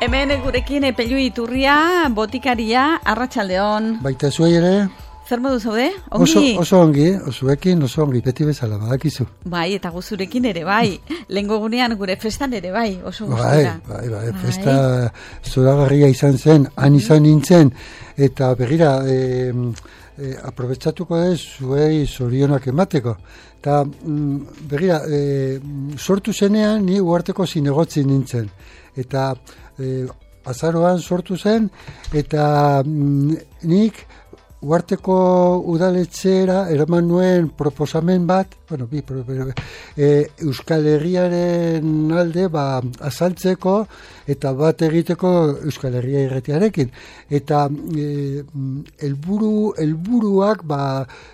Hemen gurekin Pello Iturria, botikaria, arratsaldeon. Baita zuei ere? Zer modu zaude? Ongi? Oso ongi, zuekin oso ongi, beti bezala, badakizu. Bai, eta guzurekin ere bai. Lehengo gunean gure festan ere bai, oso gustura. Bai, festa zoragarria izan zen, han izan nintzen, eta begira, aprobetsatuko ez zuei zorionak emateko. Eta begira, sortu zenean ni uharteko zinegotzi nintzen. Eta azaroan sortu zen, eta nik uharteko udaletxera eraman nuen proposamen bat, Euskal Herriaren alde azaltzeko eta bat egiteko Euskal Herria irratiarekin. Eta helburuak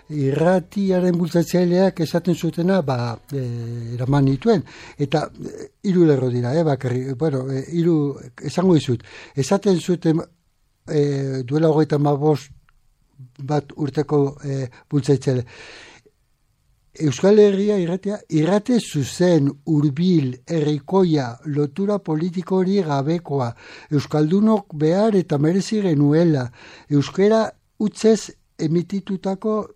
irratiaren bultzatzaileak esaten zutena eraman nituen. Eta 3 lerro dira, esango dizut. Esaten zuten duela 35 bat urteko bultzaitzaile. Euskal Herria irrate zuzen, hurbil, herrikoia, lotura politiko hori gabekoa, euskaldunok behar eta merezi genuela, euskara utzez emitituko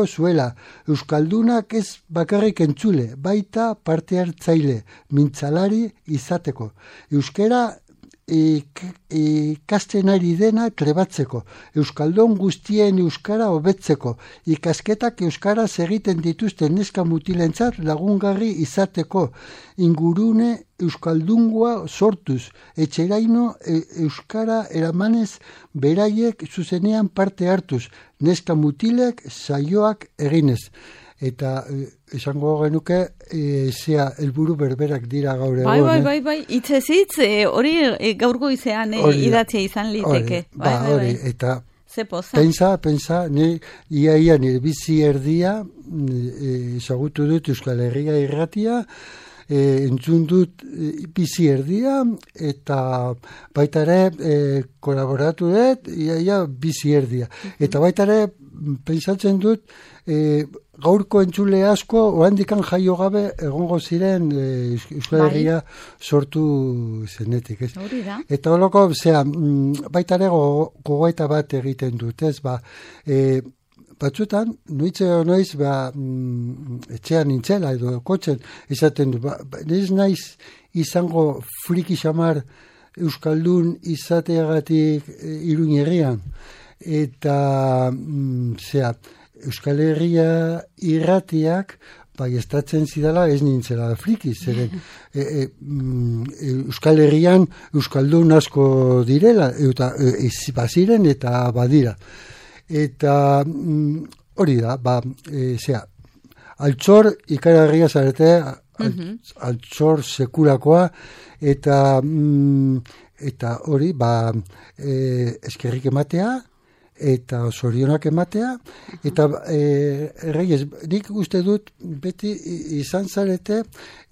zuela, euskaldunak ez bakarrik entzule, baita parte hartzaile, mintzalari izateko, euskara ikasten ari dena trebatzeko, euskaldun guztien euskara hobetzeko, ikasketak euskaraz egiten dituzten neska mutilentzat lagungarri izateko, ingurune euskaldungoa sortuz, etxeraino euskara eramanez beraiek zuzenean parte hartuz, neska mutilek saioak eginez. Eta esango genuke helburu berberak dira gaur egun. Bai, hitzez hitz, hori gaur goizean idatzia izan liteke. Hori, eta pensa, ia nire bizi erdia, ezagutu dut Euskal Herria irratia, entzun dut bizi erdia, eta baita ere kolaboratu dut, ia bizi erdia. Eta baita ere pensatzen dut, gaurko entzule asko oraindikan jaio gabe egongo ziren Euskal Herria sortu zenetik, ez? Eta holoko, baita ere gogoeta bat egiten dut, ez? Batzutan, noiz etxean nintzela edo kotzen esaten du, ez naiz izango friki xamar euskaldun izateagatik Iruin herrian. Eta Euskal Herria irratiak estatzen zidala ez nintzela friki, zeren Euskal Herrian euskaldun asko direla, eta baziren eta badira. Eta hori da, altxor ikaragarria zarete, altxor sekulakoa, eta hori, eskerrik ematea, eta zorionak ematea, eta Reyes, nik uste dut beti izan zarete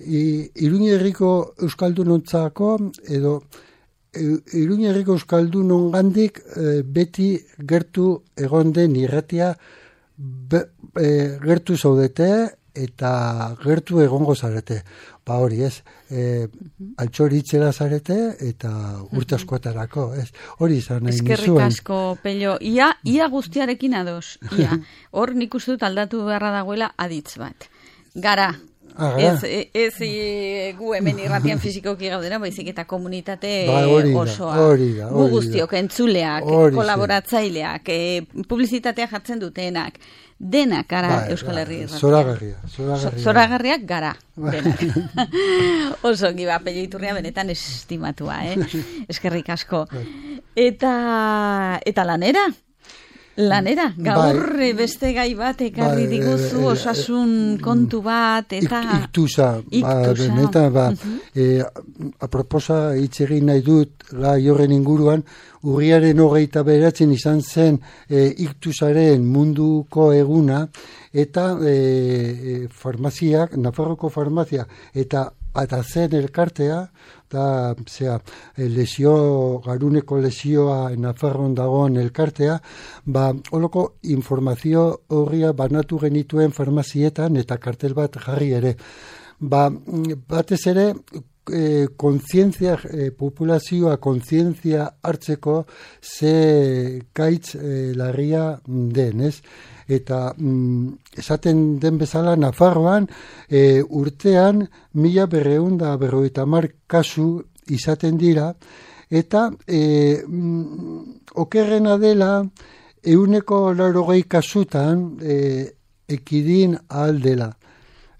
Iruin herriko euskaldunontzako edo Iruin herriko euskaldunongandik beti gertu egon den irratia gertu zaudete eta gertu egongo zarete. Hori ez, altxor hitzera zarete eta urte askotarako, ez? Hori izan nahi nizuen. Eskerrik asko, Pello. Ia guztiarekin ados. Hor nik uste dut aldatu beharra dagoela aditz bat. Gara. Ez gu hemen irratian fizikoki gaudena, baizik eta komunitate osoa. Gu guztiok, entzuleak, kolaboratzaileak, publizitatea jartzen dutenak. Denak gara Euskal Herri irratia. Zoragarriak gara. Oso ongi Pello Iturria benetan estimatua, eskerrik asko. Eta lanera, gaur beste gai bat ekarri diguzu, osasun kontu bat, eta iktusa. Aproposa hitz egin nahi dut gai horren inguruan, urriaren 29 izan zen iktusaren munduko eguna, eta farmaziak, Nafarroko farmazia, eta zen elkartea, garuneko lesioa Nafarroan dagoen elkartea, holoko informazio horria banatu genituen farmazietan eta kartel bat jarri ere. Batez ere, kontzientzia, populazioa kontzientzia hartzeko ze gaitz larria den, ez? Eta esaten den bezala Nafarroan urtean 1250 kasu izaten dira, eta okerrena dela 180 kasutan ekidin ahal dela.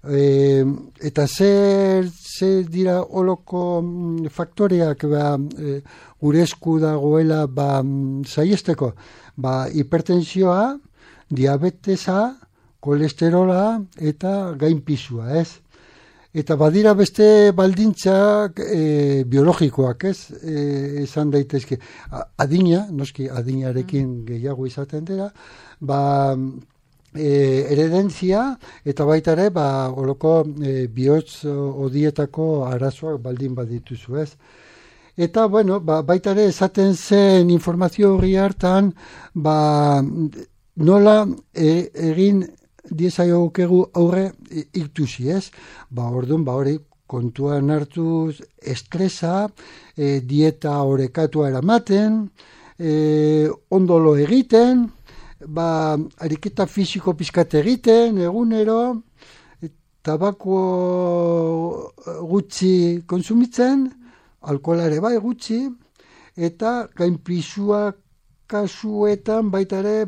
Eta zer dira oloko faktoreak gure esku dagoela saiesteko? Hipertensioa, diabetesa, kolesterola eta gainpisua, ez? Eta badira beste baldintzak biologikoak, ez? Esan daitezke. Adina, noski adinarekin gehiago izaten dira, heredentzia eta baita ere oloko bihotz odietako arazoak baldin badituzu, ez? Eta, bueno, baita ere esaten zen informazio horri hartan, nola egin diezaiokegu aurre iktusi, ez? Orduan, hori kontuan hartuz estresa, dieta orekatua eramaten, ondolo egiten, ariketa fisiko pizkat egiten, egunero, tabako gutxi konsumitzen, alkoholare gutxi, eta gainpisuak kasuetan baita ere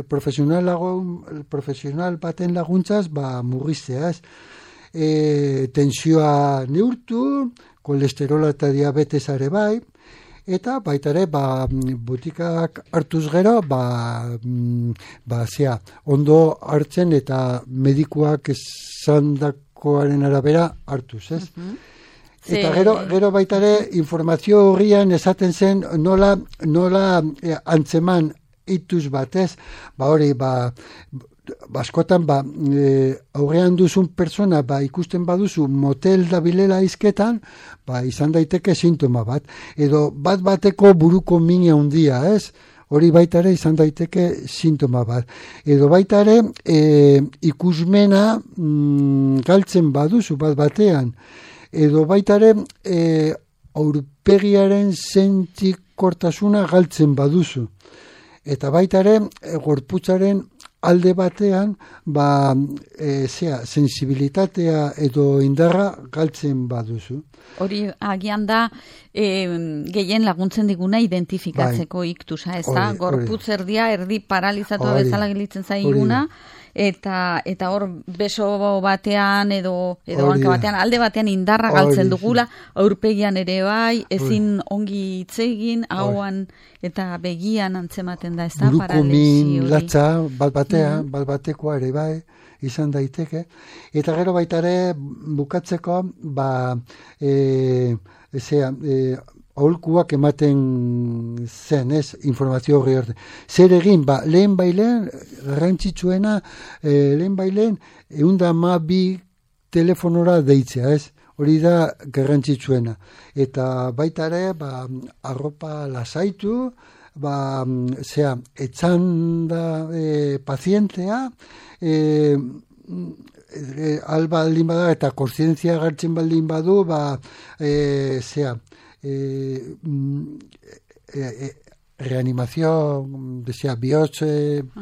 profesional baten laguntzaz murriztea, ez? Tensioa neurtu, kolesterola eta diabetesare eta baita ere botikak hartuz gero ondo hartzen eta medikuak esandakoaren arabera hartuz, ez? Eta gero baita ere informazio horrian esaten zen nola antzeman ituz batez, hori, askotan aurrean duzun persona ikusten baduzu motel dabilela izketan, izan daiteke sintoma bat, edo bateko buruko min handia, ez? Hori baita ere izan daiteke sintoma bat. Edo baita ere ikusmena galtzen baduzu batean, edo baita ere aurpegiaren sentikortasuna galtzen baduzu. Eta baita ere gorputzaren alde batean sensibilitatea edo indarra galtzen baduzu. Hori agian da gehien laguntzen diguna identifikatzeko iktusa, ez da? Gorputz erdi paralizatua bezala gelitzen zaiguna, eta hor beso batean edo hanka batean, alde batean indarra galtzen dugula, aurpegian ere ezin ongi hitz egin, hauan eta begian antzematen da, ez da? Buruko min latza, batekoa ere izan daiteke. Eta gero baita ere bukatzeko, aholkuak ematen zen, ez, informazio horri arte. Zer egin, lehen garrantzitsuena, lehen 112 telefonora deitzea, ez? Hori da garrantzitsuena. Eta baita ere, arropa lasaitu, etzan da pazientea, albaldin bada eta kontzientzia gartzen baldin badu, reanimazio, bihotz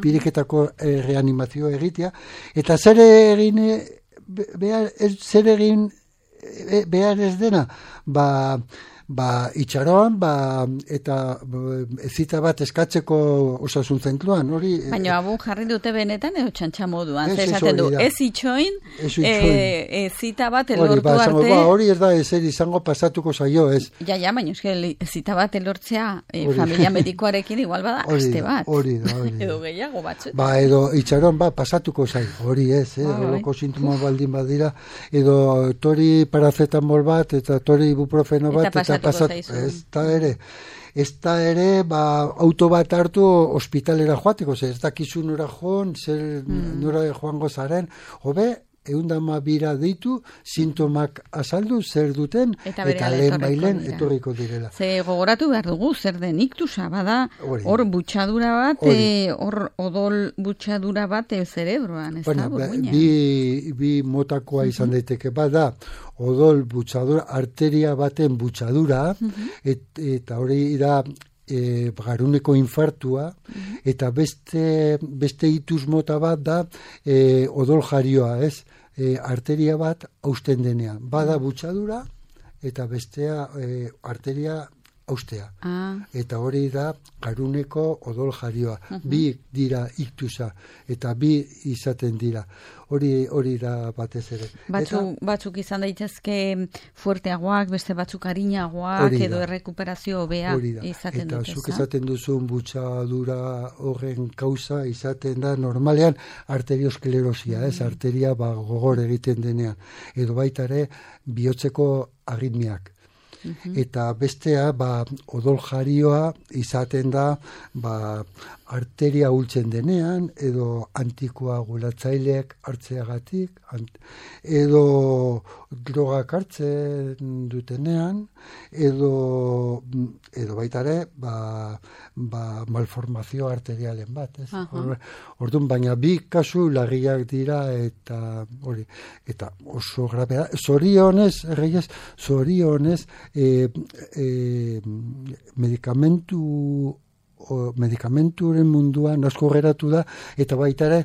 piriketako reanimazio egitea, eta zer egin behar ez dena, itxaron, eta zita bat eskatzeko osasun zentruan, hori... Baina abu jarri dute benetan edo txantxa moduan, esaten du, ez itxoin, zita bat elortu arte... Hori ez da, ezer izango pasatuko zaio, ez? Ja, baina zita bat elortzea familia medikoarekin igual bada, aste bat. Hori da. Edo gehiago batzu. Edo itxaron, pasatuko zaio, hori ez, horoko sintoma baldin badira, edo tori paracetamol bat, eta tori ibuprofeno bat, eta ez da ere auto bat hartu ospitalera joateko, ez dakizu nora joan, nora joango zaren, hobe 112 deitu, sintomak azaldu zer duten, eta lehen bailen etorriko direla. Ze gogoratu behar dugu, zer den iktusa, bada, hor butxadura bat, hor odol butxadura bat zerebroan, ez da, burbuina. Bi motakoa izan daiteke, bada, odol butxadura, arteria baten butxadura, eta hori da, garuneko infartua, eta beste itus mota bat da odol jarioa, ez? Arteria bat hausten denean. Bada butxadura, eta bestea arteria haustea. Eta hori da garuneko odol jarioa. Bi dira iktusa, eta bi izaten dira. Hori da batez ere. Batzuk izan daitezke fuerteagoak, beste batzuk arinagoak, edo errekuperazio hobea izaten dute. Eta zuk esaten duzun butxadura horren kausa izaten da normalean arteriosklerosia, arteria gogor egiten denean. Edo baita ere bihotzeko aritmiak. Eta bestea, odol jarioa izaten da, arteria hultzen denean, edo antikoagulatzaileak hartzeagatik, edo drogak hartzen dutenean, edo baita ere, malformazio arterialen bat. Orduan, baina bi kasu larriak dira, eta hori, eta oso grabea. Zorionez, medikamenturen munduan asko geratu da, eta baita ere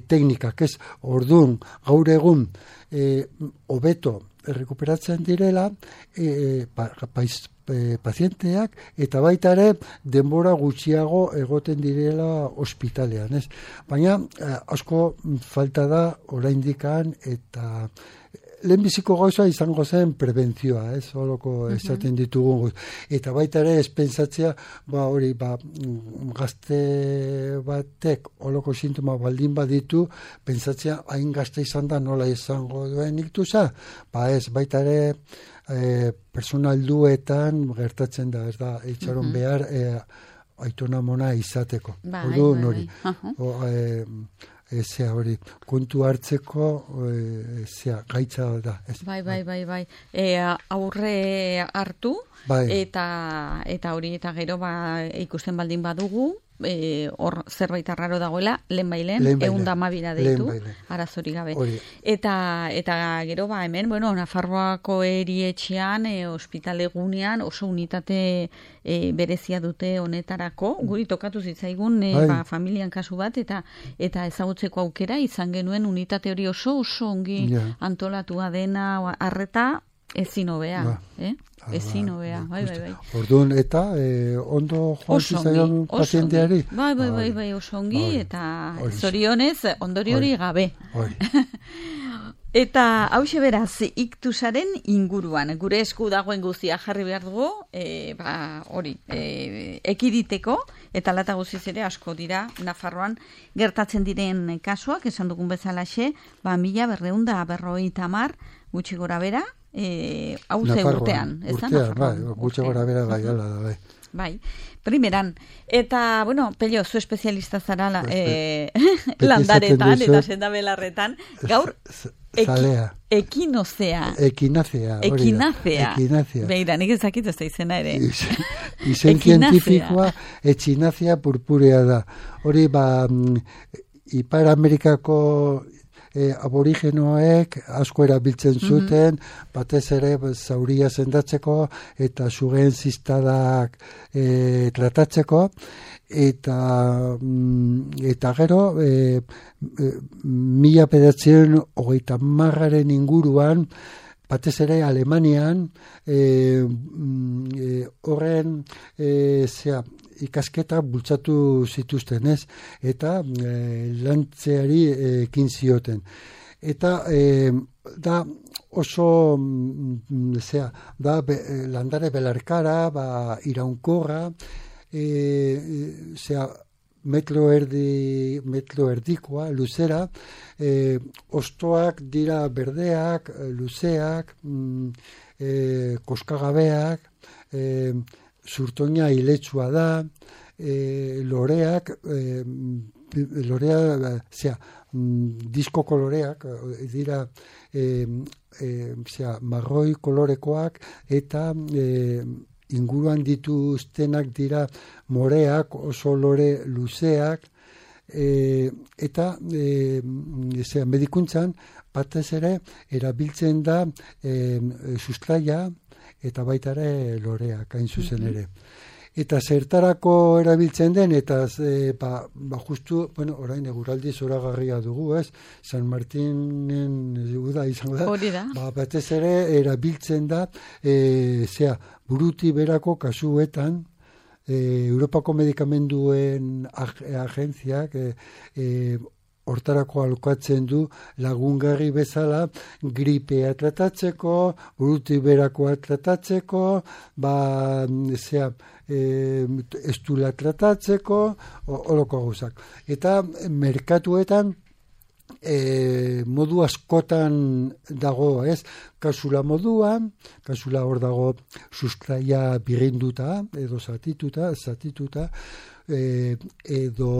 teknikak, ez? Orduan, gaur egun hobeto errekuperatzen direla pazienteak, eta baita ere denbora gutxiago egoten direla ospitalean, ez? Baina asko falta da oraindikan, eta lehenbiziko gauza izango zen prebentzioa, ez? Holoko esaten ditugu. Eta baita ere, ez pentsatzea, gazte batek holoko sintoma baldin baditu, pentsatzea hain gazte izan da nola izango duen iktusa. Ez, baita ere, personalduetan gertatzen da, ez da, itxaron behar aitona mona izateko. Orduan hori. Hori, kontu hartzeko gaitza da. Bai. Aurre hartu, eta hori, eta gero ikusten baldin badugu, hor zerbait arraro dagoela, lehen 112 deitu, arazori gabe. Eta gero hemen, Nafarroako erietxean, ospitale gunean, oso unitate berezia dute honetarako, guri tokatu zitzaigun familian kasu bat, eta ezagutzeko aukera izan genuen unitate hori oso ongi antolatua dena, arreta ezin hobea, ezin hobea, bai. Orduan, eta ondo joan zizaion pazienteari? Bai, oso ongi, eta zorionez, ondori hori gabe. Eta hauxe beraz, iktusaren inguruan, gure esku dagoen guztia jarri behar dugu, ekiditeko, eta lata guztiz ere asko dira Nafarroan gertatzen diren kasuak, esan dugun bezalaxe, 1250 gutxi gora bera, hauze urtean, ez da? Urtean, gutxi gora bera bai, ala da, bai. Bai, primeran. Eta, Pello, zu espezialista zara landaretan eta sendabelarretan. Gaur, ekinazea. Beira, nik ezakit ez da izena ere. Izen zientifikoa, echinacea purpurea da. Hori, Ipar Amerikako aborigenoek asko erabiltzen zuten, batez ere zauria sendatzeko eta sugen zistadak tratatzeko, eta gero 1930 inguruan, batez ere Alemanian, horren ikasketa bultzatu zituzten, ez? Eta lantzeari ekin zioten. Eta da oso landare belarkara, iraunkorra, metro erdikoa, luzera, ostoak dira berdeak, luzeak, koskagabeak, zurtoina iletsua da, loreak lorea, disko koloreak, dira, marroi kolorekoak, eta inguruan dituztenak dira moreak, oso lore luzeak, eta medikuntzan batez ere erabiltzen da sustraia eta baita ere loreak hain zuzen ere. Eta zertarako erabiltzen den, eta justu, orain eguraldi zoragarria dugu, ez? San Martinen uda izango da. Hori da. Batez ere erabiltzen da, buruti berako kasuetan, Europako medikamenduen agentziak hortarako alokatzen du lagungarri bezala gripea tratatzeko, buruti berakoa tratatzeko, estula tratatzeko, horoko gauzak. Eta merkatuetan modu askotan dago, ez? Kasula moduan, kasula hor dago sustraia birrinduta, edo zatituta, edo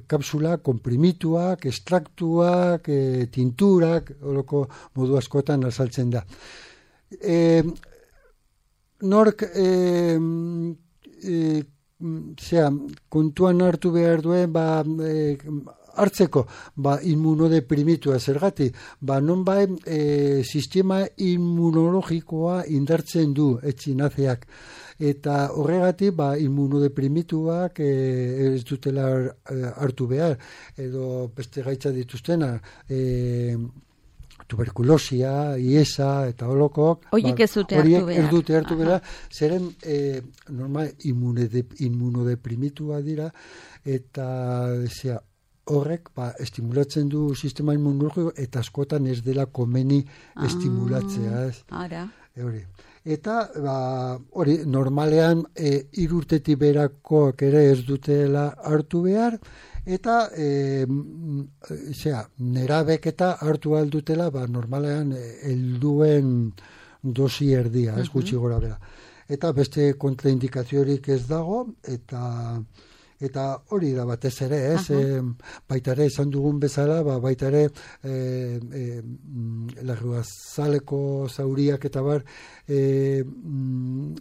kapsula komprimituak, estraktuak, tinturak, horoko modu askotan azaltzen da. Nork kontuan hartu behar duen, hartzeko, inmunodeprimitua zergatik, nonbait sistema immunologikoa indartzen du etxinazeak. Eta horregatik, immunodeprimituak ez dutela hartu behar, edo beste gaitza dituztena, tuberkulosia, iesa, eta holokok. Horiek ez dute hartu behar. Ez dute hartu behar, zeren normal immunodeprimitua dira, eta horrek estimulatzen du sistema immunologiko, eta askotan ez dela komeni estimulatzea. Ara. Eta, hori, normalean 3 urtetik berakoak ere ez dutela hartu behar, eta nerabek eta hartu aldutela, normalean helduen dosi erdia, ez gutxi gora bera. Eta beste kontraindikaziorik ez dago, eta hori da batez ere, ez? Baita ere, esan dugun bezala, baita ere, larruazaleko zauriak eta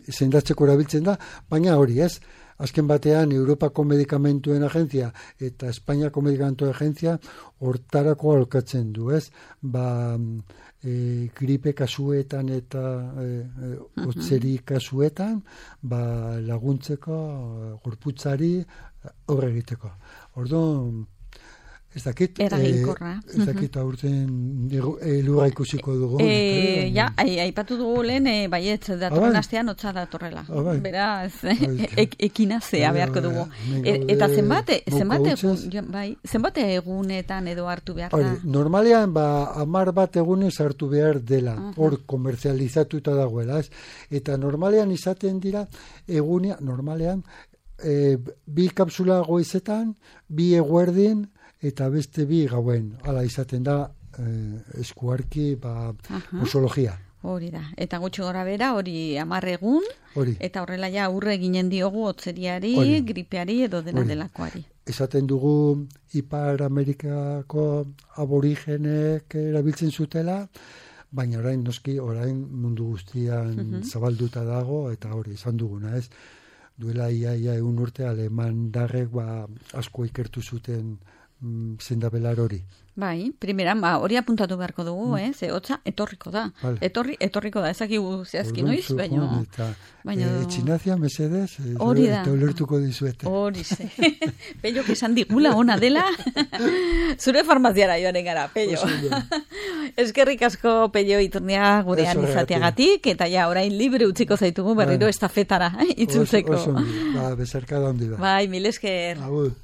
sendatzeko erabiltzen da, baina hori, ez? Azken batean, Europako Medikamentuen Agentzia eta Espainiako Medikamentuen Agentzia hortarako alokatzen du, ez? Gripe kasuetan eta hotzeri kasuetan, laguntzeko, gorputzari horre egiteko. Orduan, ez dakit, aurten elurra ikusiko dugu. Aipatu dugu lehen, baietz datorren astean hotza datorrela. Beraz, ekinazea beharko dugu. Eta zenbat egunetan edo hartu behar da? Normalean, 10 egunez hartu behar dela, hor komerzializatuta dagoela. Eta normalean izaten dira, normalean, 2 kapsula goizetan, 2 eguerdin, eta beste 2 gauen. Hala izaten da eskuarki posologia. Hori da. Eta gutxi gora bera, hori 10 egun, eta horrela ja aurre ginen diogu hotzeriari, gripeari edo delakoari. Esaten dugu Ipar Amerikako aborigenek erabiltzen zutela, baina orain mundu guztian zabalduta dago, eta hori izan duguna, ez? Duela ia 1 urte alemandarrek asko ikertu zuten zendabelar hori. Bai, primeran, hori apuntatu beharko dugu, ze hotza etorriko da. Etorriko da, ezakigu zehazki noiz, baina... Etxinazia, mesedez, eta ulertuko dizuete. Hori ze. Pello, esan digula ona dela, zure farmaziara joanen gara, Pello. Eskerrik asko, Pello, Iturnia gurean izateagatik, eta orain libre utziko zaitugu berriro estafetara, itzultzeko. Oso, bezarka da hondi da. Bai, mil esker. Agur.